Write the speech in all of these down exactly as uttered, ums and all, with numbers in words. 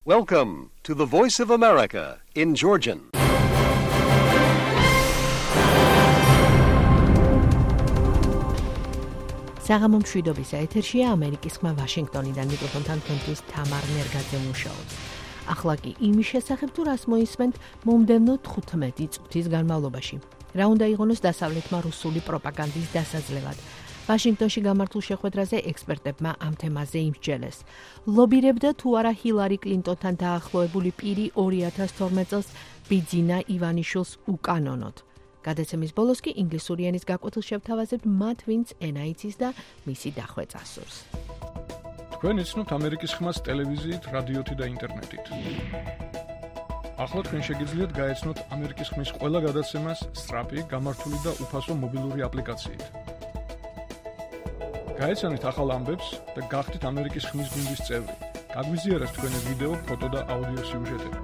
Welcome to the Voice of America in Georgian. საღამო მშვიდობის ეთერშია ამერიკის ხმა ვაშინგტონიდან მიკროფონთან თქვენთვის თამარ ნერგაძე მუშაობს. ახლა კი იმის შესახებ თუ რას მოისმენთ მომდევნო თხუთმეტი წუთის განმავლობაში. რა უნდა იღონოს დასავლეთმა რუსული პროპაგანდის დასაძლევად. ვაშინგტონში გამართულ შეხვედრაზე ექსპერტებმა ამ თემაზე იმსჯელეს. ლობირებდა თუ არა ჰილარი კლინტონთან დაახლოებული პირი ორი ათას თორმეტ წელს ბიძინა ივანიშვილს უკანონოდ. გადაცემის ბოლოს კი ინგლისური ენის გაკვეთილ შევთავაზებთ მათ, ვინც ენა იცის და მისი დახვეწა სურს. თქვენ იცნობთ ამერიკის ხმას ტელევიზიით, რადიოთი და ინტერნეტით. ახლა თქვენ შეგიძლიათ გაეცნოთ ამერიკის ხმის ყველა გადაცემას სწრაფი, გამართული და უფასო მობილური აპლიკაციით. გაეცანით ახალ ამბებს და გახდით ამერიკის ხმის გუნდის წევრი. გაგვიზიარეთ თქვენი ვიდეო, ფოტო და აუდიო სიუჟეტები.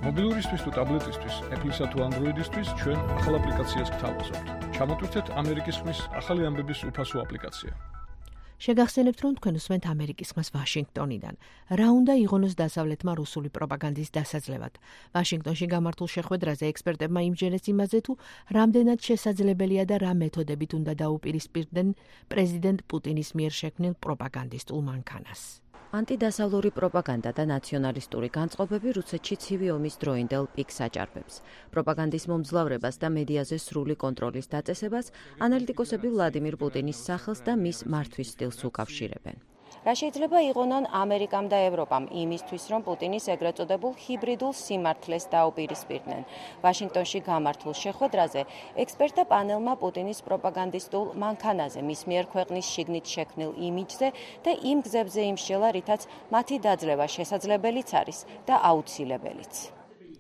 მობილურისთვის თუ ტაბლეტისთვის, Apple-ისა თუ Android-ისთვის ჩვენ ახალ აპლიკაციას გთავაზობთ. ჩამოტვირთეთ ამერიკის ხმის ახალი ამბების უფასო აპლიკაცია. შეგახსენებთ, რომ თქვენ უსმენთ ამერიკის ხმას ვაშინგტონიდან. რა უნდა იღონოს დასავლეთმა რუსული პროპაგანდის დასაძლევად. ვაშინგტონში გამართულ შეხვედრაზე ექსპერტებმა იმსჯელეს იმაზე, თუ რამდენად შესაძლებელია და რა მეთოდებით უნდა დაუპირისპირდნენ პრეზიდენტ პუტინის მიერ შექმნილ პროპაგანდისტულ მანქანას. ანტიდასავლური პროპაგანდა და ნაციონალისტური განწყობები რუსეთში ცივი ომის დროინდელ პიკს აჭარბებს. პროპაგანდის მომძლავრებას და მედიაზე სრული კონტროლის დაწესებას ანალიტიკოსები ვლადიმირ პუტინის სახელს და მის მართვის სტილს უკავშირებენ. რა შეიძლება იღონონ ამერიკამ და ევროპამ იმისთვის, რომ პუტინის ეგრეთ წოდებულ ჰიბრიდულ სიმართლეს დაუპირისპირდნენ. ვაშინგტონში გამართულ შეხვედრაზე ექსპერტთა პანელმა პუტინის პროპაგანდისტულ მანქანაზე, მის მიერ ქვეყნის შიგნით შექმნილ იმიჯზე და იმ გზებზე იმსჯელა, რითაც მათი დაძლევა შესაძლებელიც არის და აუცილებელიც.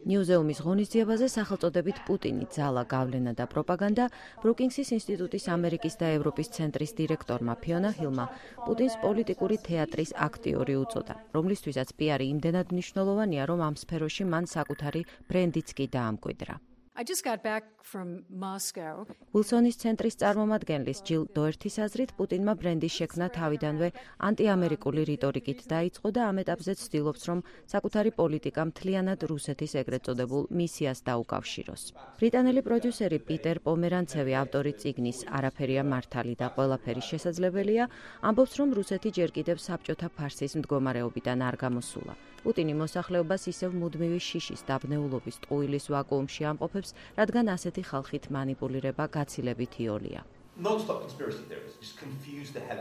ნიუზეუმის ღონისძიებაზე სახელწოდებით პუტინი, ძალა, გავლენა და პროპაგანდა ბრუკინგსის ინსტიტუტის ამერიკის და ევროპის ცენტრის დირექტორმა ფიონა ჰილმა პუტინს პოლიტიკური თეატრის აქტიორი უწოდა, რომლისთვისაც პიარი იმდენად მნიშვნელოვანია, რომ ამ სფეროში მან საკუთარი ბრენდიც კი დაამკვიდრა. I just got back from Moscow. ვილსონის ცენტრის წარმომადგენლის ჯილ დოერთის აზრით, პუტინმა ბრენდის შექმნა თავიდანვე ანტიამერიკული რიტორიკით დაიწყო და ამ ეტაპზე ცდილობს, რომ საკუთარი პოლიტიკა მთლიანად რუსეთის ეგრეთ წოდებულ მისიას დაუკავშიროს. ბრიტანელი პროდიუსერი პიტერ პომერანცევი, ავტორი წიგნის „არაფერია მართალი და ყველაფერი შესაძლებელია“, ამბობს, რომ რუსეთი ჯერ კიდევ საბჭოთა ფარსის მდგომარეობიდან არ გამოსულა. პუტინი მოსახლეობას ისევ მუდმივი შიშის დაბნეულობის ტყუილის ვაკუუმში ამყოფებს, რადგან ასეთი ხალხით მანიპულირება გაცილებით იოლია.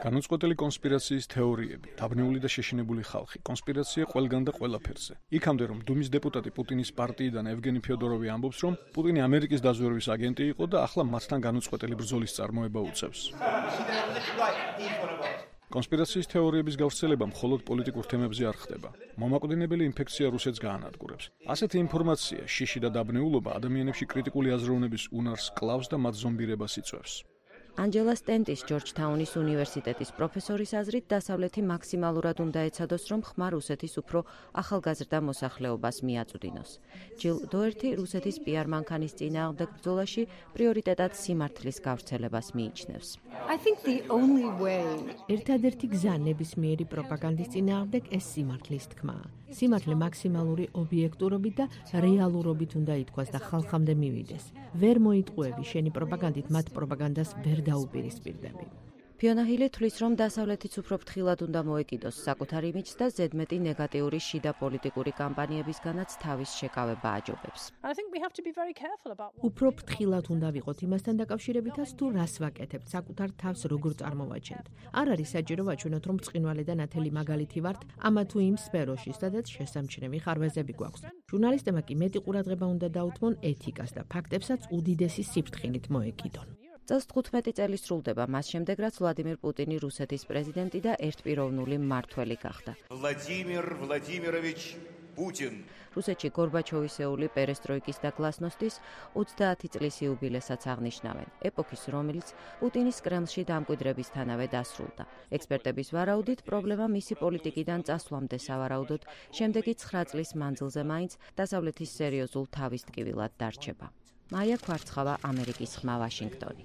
განუწყვეტელი კონსპირაციის თეორიები, დაბნეული და შეშინებული ხალხი, კონსპირაცია ყველგან და ყველაფერზე. იქამდე, რომ დუმის დეპუტატი პუტინის პარტიიდან ევგენი ფიოდოროვი ამბობს, რომ პუტინი ამერიკის დაზვერვის აგენტი იყო და ახლა მათთან განუწყვეტელი ბრძოლის წარმოება უწევს. კონსპირაციის თეორიების გავრცელება მხოლოდ პოლიტიკურ თემებზე არ ხდება. მომაკვდინებელი ინფექცია რუსეთს გაანადგურებს. ასეთი ინფორმაცია, შიში და დაბნეულობა ადამიანებში კრიტიკული აზროვნების უნარს კლავს და მათ ზომბირებას იწვევს. ანჯელა სტენტის ჯორჯთაუნის უნივერსიტეტის პროფესორის აზრით, დასავლეთი მაქსიმალურად უნდა ეცადოს, რომ ხმა რუსეთის უფრო ახალგაზრდა მოსახლეობას მიაწვდინოს. ჯილ დოერთი რუსეთის პიარ მანქანის წინააღმდეგ ბრძოლაში პრიორიტეტად სიმართლის გავრცელებას მიიჩნევს. I think the only way ერთადერთი გზა ნებისმიერი პროპაგანდის წინააღმდეგ ეს სიმართლის თქმაა. სიმართლე მაქსიმალური ობიექტურობით და რეალურობით უნდა ითქვას და ხალხამდე მივიდეს. ვერ მოიტყუები შენი პროპაგანდით მათ პროპაგანდას ვერ დაუპირისპირდები. ფიონა ჰილი თვლის, რომ დასავლეთიც უფრო ფრთხილად უნდა მოეკიდოს საკუთარ იმიჯს და ზედმეტი ნეგატიური შიდა პოლიტიკური კამპანიებისგანაც თავის შეკავება აჯობებს. უფრო ფრთხილად უნდა ვიყოთ იმასთან დაკავშირებითაც, თუ რას ვაკეთებთ, საკუთარ თავს როგორ წარმოვაჩენთ. არ არის საჭირო ვაჩვენოთ, რომ ბრწყინვალე და ნათელი მაგალითი ვართ ამა თუ იმ სფეროში, სადაც შესამჩნევი ხარვეზები გვაქვს. ჟურნალისტებმა კი მეტი ყურადღება უნდა დაუთმონ ეთიკას და ფაქტებსაც უდიდესი სიფრთხილით მოეკიდონ. წელს თხუთმეტი წელი სრულდება მას შემდეგ, რაც ვლადიმირ პუტინი რუსეთის პრეზიდენტი და ერთპიროვნული მმართველი გახდა. ვლადიმირ ვლადიმიროვიჩ პუტინ. რუსეთში გორბაჩოვისეული პერესტროიკის და გლასნოსტის ოცდაათი წლის იუბილესაც აღნიშნავენ, ეპოქის, რომელიც პუტინის კრემლში დამკვიდრებისთანავე დასრულდა. ექსპერტების ვარაუდით, პრობლემა მისი პოლიტიკიდან წასვლამდე სავარაუდოდ შემდეგი ცხრა წლის მანძილზე მაინც დასავლეთის სერიოზულ თავისტკივილად დარჩება. მაია ქვარცხავა, ამერიკის ხმა, ვაშინგტონი.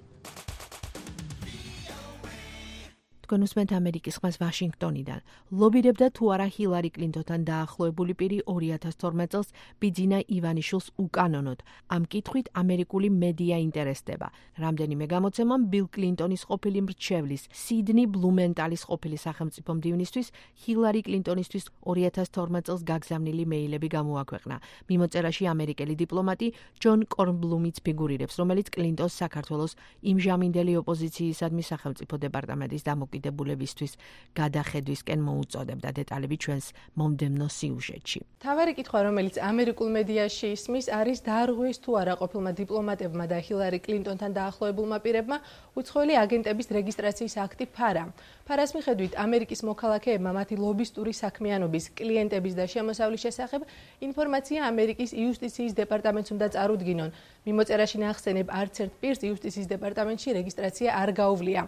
თქვენ უსმენთ ამერიკის ხმას ვაშინგტონიდან. ლობირებდა თუ არა ჰილარი კლინტონთან დაახლოებული პირი ორი ათას თორმეტ წელს ბიძინა ივანიშვილს უკანონოდ. ამ კითხვით ამერიკული მედია ინტერესდება. რამდენიმე გამოცემამ ბილ კლინტონის ყოფილი მრჩევლის, სიდნი ბლუმენტალის ყოფილი სახელმწიფო მდივნისთვის ჰილარი კლინტონისთვის ორი ათას თორმეტ წელს გაგზავნილი მეილები გამოაქვეყნა. მიმოწერაში ამერიკელი დიპლომატი ჯონ კორნბლუმიც ფიგურირებს, რომელიც კლინტონს საქართველოს იმჟამინდელი ოპოზიციისადმი სახელმწიფო დეპარტამენტის დამოკიდებულებისთვის გადახედვისკენ მოუწოდებდა. დეტალები ჩვენს მომდევნო სიუჟეტში. თავარი კითხვა, რომელიც ამერიკულ მედიაში ისმის, არის დაარღვიეს თუ არა ყოფილმა დიპლომატებმა და ჰილარი კლინტონთან დაახლოებულმა პირებმა უცხოელი აგენტების რეგისტრაციის აქტი ფარა. ფარას მიხედვით ამერიკის მოქალაქეებმა მათი ლობისტური საქმიანობის, კლიენტების და შემოსავლის შესახებ ინფორმაცია ამერიკის იუსტიციის დეპარტამენტს უნდა წარუდგინონ. მიმოწერაში ნახსენებ, არც ერთ პირს იუსტიციის დეპარტამენტში რეგისტრაცია არ გაუვლია.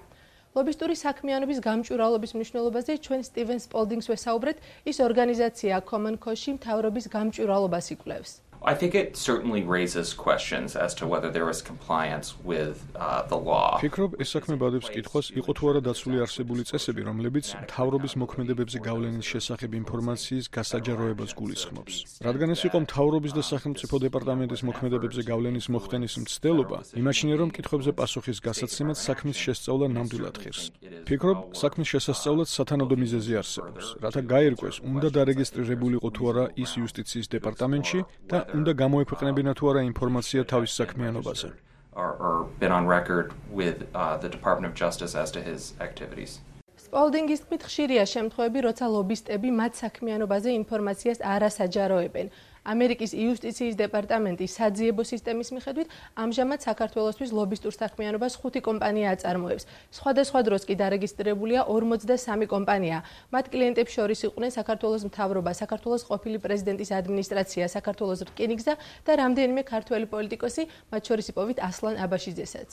ლობისტური საქმიანობის გამჭვირვალობის მნიშვნელობაზე ჩვენ სტივენ სპოლდინგს ვესაუბრეთ, ის ორგანიზაცია Common Cause-ში მთავრობის გამჭვირვალობას იკვლევს. I think it certainly raises questions as to whether there was compliance with uh, the law. ფიქრობ, ეს საქმე ბადებს კითხვას, იყო თუ არა დაცული არსებული წესები, რომლებიც მთავრობის მოქმედებებზე გავლენის შესახებ ინფორმაციის გასაჯაროებას გულისხმობს. რადგან ეს იყო მთავრობის და სახელმწიფო დეპარტამენტის მოქმედებებზე გავლენის მოხდენის მცდელობა, იმაჩნია, რომ კითხვებზე პასუხის გასაცემად საქმის შესწავლა ნამდვილად ხირს. ფიქრობ, საქმის შესასწავლად სათანადო მიზეზი არსებობს, რათა გაირკვეს, უნდა დარეგისტრირებულიყო თუ არა ის იუსტიციის დეპარტამენტში და უნდა გამოექვეყნებინა თუ არა ინფორმაცია თავის საქმიანობაზე. Or, or been on record with uh, the Department of Justice as to his activities. სპოლდინგის თქმით, ხშირია შემთხვევები, როცა ლობისტები მათ საქმიანობაზე ინფორმაციას არ ასაჯაროებენ. ამერიკის იუსტიციის დეპარტამენტის საძიებო სისტემის მიხედვით, ამჟამად საქართველოსთვის ლობისტურ საქმიანობას ხუთი კომპანია აწარმოებს. სხვადასხვა დროს კი დარეგისტრირებულია ორმოცდასამი კომპანია. მათ კლიენტებს შორის იყვნენ საქართველოს მთავრობა, საქართველოს ყოფილი პრეზიდენტის ადმინისტრაცია, საქართველოს რკინიგზა და რამდენიმე ქართველი პოლიტიკოსი, მათ შორის იპოვით ასლან აბაშიძესაც.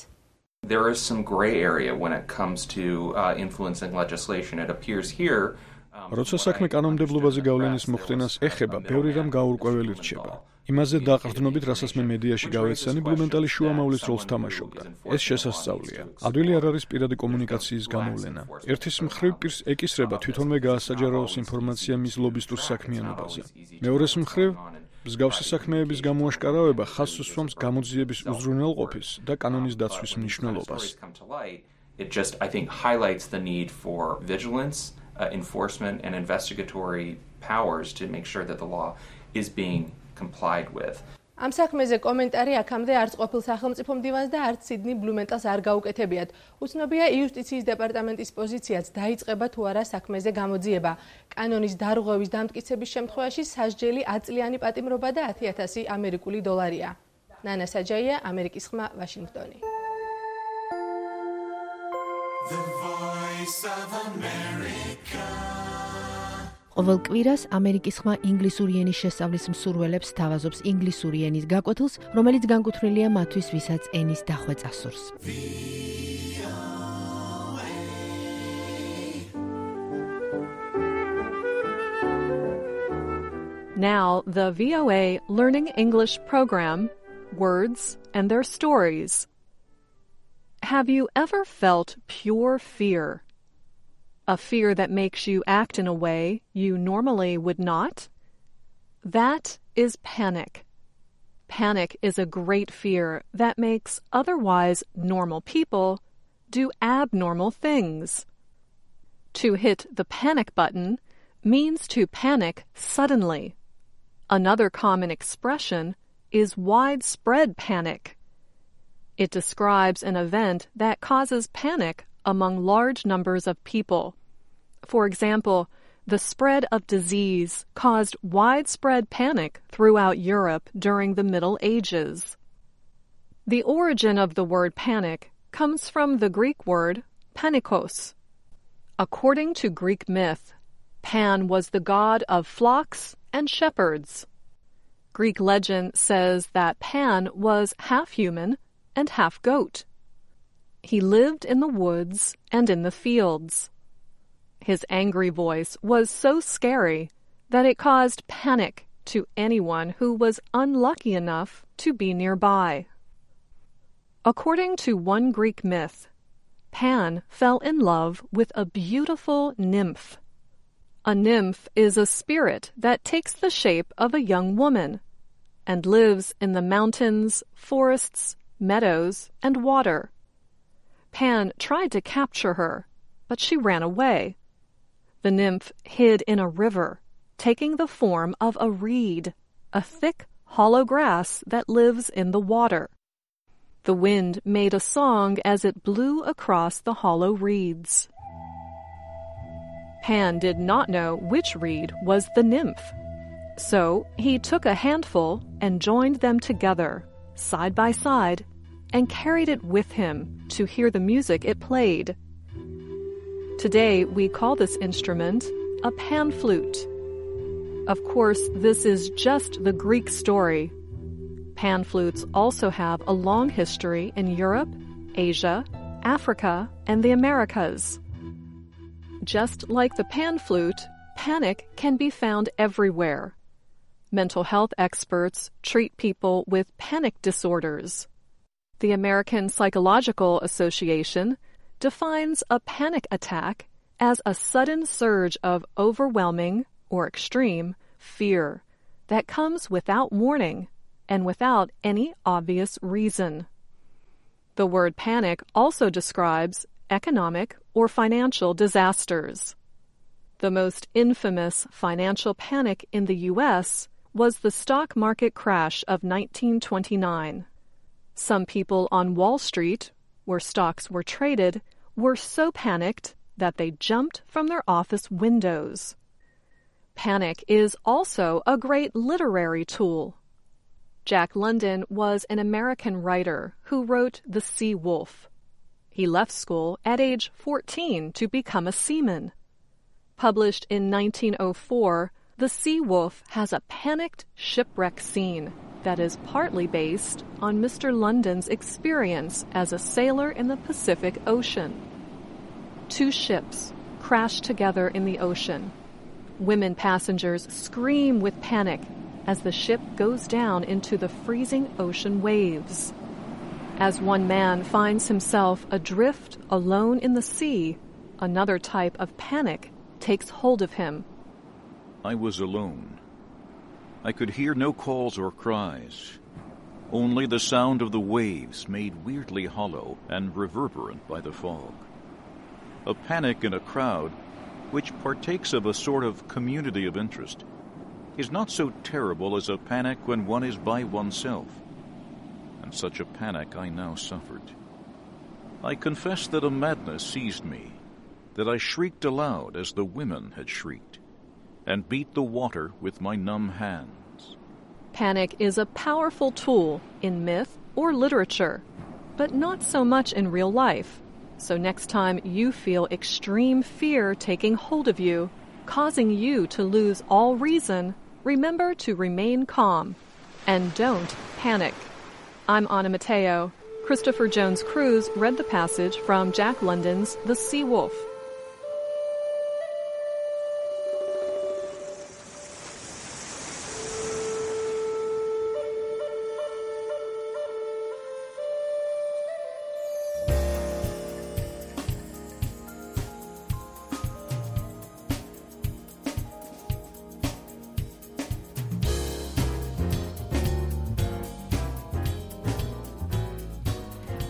There is some gray area when it comes to uh, influencing legislation. It appears here როცა საქმე კანონმდებლობაზე გავლენის მოხდენას ეხება, ბევრი რამ გაურკვეველი რჩება. იმაზე დაყრდნობით, რასაც მე მედიაში გავეცანი, ბლუმენტალი შუამავლის როლს თამაშობდა. ეს შესასწავლია. ადვილი არ არის პირადი კომუნიკაციის გამოვლენა. ერთის მხრივ პირს ეკისრება თვითონვე გაასაჯაროოს ინფორმაცია მის ლობისტურ საქმიანობაზე. მეორეს მხრივ მსგავსი საქმეების გამოაშკარავება ხაზს უსვამს გამოძიების უზრუნველყოფის და კანონის დაცვის მნიშვნელობას. It just, I think, highlights the need for vigilance, uh, enforcement, and investigatory powers to make sure that the law is being complied with. ამ საქმეზე კომენტარი აქამდე არც ყოფილ სახელმწიფო მდივანს და არც სიდნი ბლუმენტალს არ გაუკეთებიათ. უცნობია იუსტიციის დეპარტამენტის პოზიციაც დაიწყება თუ არა საქმეზე გამოძიება. კანონის დარღვევის დამტკიცების შემთხვევაში სასჯელი ათწლიანი პატიმრობა და ათი ათასი ამერიკული დოლარია. ნანა საჯაია, ამერიკის ხმა, ვაშინგტონი. The Voice of America. ყოველ კვირას ამერიკის ხმა ინგლისური ენის შესწავლის მსურველებს თავაზობს ინგლისური ენის გაკვეთილს, რომელიც განკუთვნილია მათთვის, ვისაც ენის დახვეწა სურს. Now, the V O A Learning English program, Words and Their Stories. Have you ever felt pure fear? A fear that makes you act in a way you normally would not? That is panic. Panic is a great fear that makes otherwise normal people do abnormal things. To hit the panic button means to panic suddenly. Another common expression is widespread panic. It describes an event that causes panic among large numbers of people. For example, the spread of disease caused widespread panic throughout Europe during the Middle Ages. The origin of the word panic comes from the Greek word panikos. According to Greek myth, Pan was the god of flocks and shepherds. Greek legend says that Pan was half human and half goat. He lived in the woods and in the fields. His angry voice was so scary that it caused panic to anyone who was unlucky enough to be nearby. According to one Greek myth, Pan fell in love with a beautiful nymph. A nymph is a spirit that takes the shape of a young woman and lives in the mountains, forests, meadows, and water. Pan tried to capture her, but she ran away. The nymph hid in a river, taking the form of a reed, a thick, hollow grass that lives in the water. The wind made a song as it blew across the hollow reeds. Pan did not know which reed was the nymph. So he took a handful and joined them together, side by side, and carried it with him to hear the music it played. Today we call this instrument a pan flute. Of course, this is just the Greek story. Pan flutes also have a long history in Europe, Asia, Africa, and the Americas. Just like the pan flute, panic can be found everywhere. Mental health experts treat people with panic disorders. The American Psychological Association defines a panic attack as a sudden surge of overwhelming or extreme fear that comes without warning and without any obvious reason. The word panic also describes economic or financial disasters. The most infamous financial panic in the U S was the stock market crash of nineteen twenty-nine. Some people on Wall Street, where stocks were traded, were so panicked that they jumped from their office windows. Panic is also a great literary tool. Jack London was an American writer who wrote The Sea Wolf. He left school at age fourteen to become a seaman. Published in nineteen oh four, The Sea Wolf has a panicked shipwreck scene that is partly based on Mister London's experience as a sailor in the Pacific Ocean. Two ships crash together in the ocean. Women passengers scream with panic as the ship goes down into the freezing ocean waves. As one man finds himself adrift alone in the sea, another type of panic takes hold of him. I was alone. I could hear no calls or cries, only the sound of the waves made weirdly hollow and reverberant by the fog. A panic in a crowd, which partakes of a sort of community of interest, is not so terrible as a panic when one is by oneself. And such a panic I now suffered. I confess that a madness seized me, that I shrieked aloud as the women had shrieked, and beat the water with my numb hands. Panic is a powerful tool in myth or literature, but not so much in real life. So next time you feel extreme fear taking hold of you, causing you to lose all reason, remember to remain calm and don't panic. I'm Anna Mateo. Christopher Jones Cruz read the passage from Jack London's The Sea Wolf.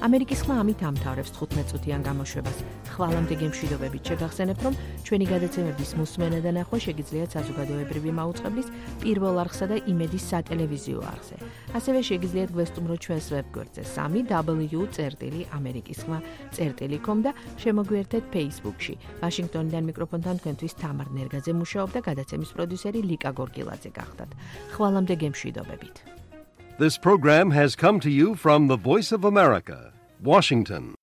ამერიკის ხმა ამით ამთავრებს თხუთმეტ წუთიან გამოშვებას. ხვალამდე გემშვიდობებით შეგახსენებთ, რომ ჩვენი გადაცემების მოსმენა და ნახვა შეგიძლიათ საზოგადოებრივი მაუწყებლის პირველ არხსა და იმედის სატელევიზიო არხზე. ასევე შეგიძლიათ გვესტუმროთ ჩვენს ვებგვერდზე სამი დაბლიუ წერტილი ამერიკის ხმა წერტილი com და შემოგვიერთეთ Facebook-ში. ვაშინგტონიდან მიკროფონთან თქვენთვის თამარ ნერგაძე მუშაობდა, გადაცემის პროდიუსერი ლიკა გორგილაძე გახდათ. ხვალამდე გემშვიდობებით. This program has come to you from the Voice of America, Washington.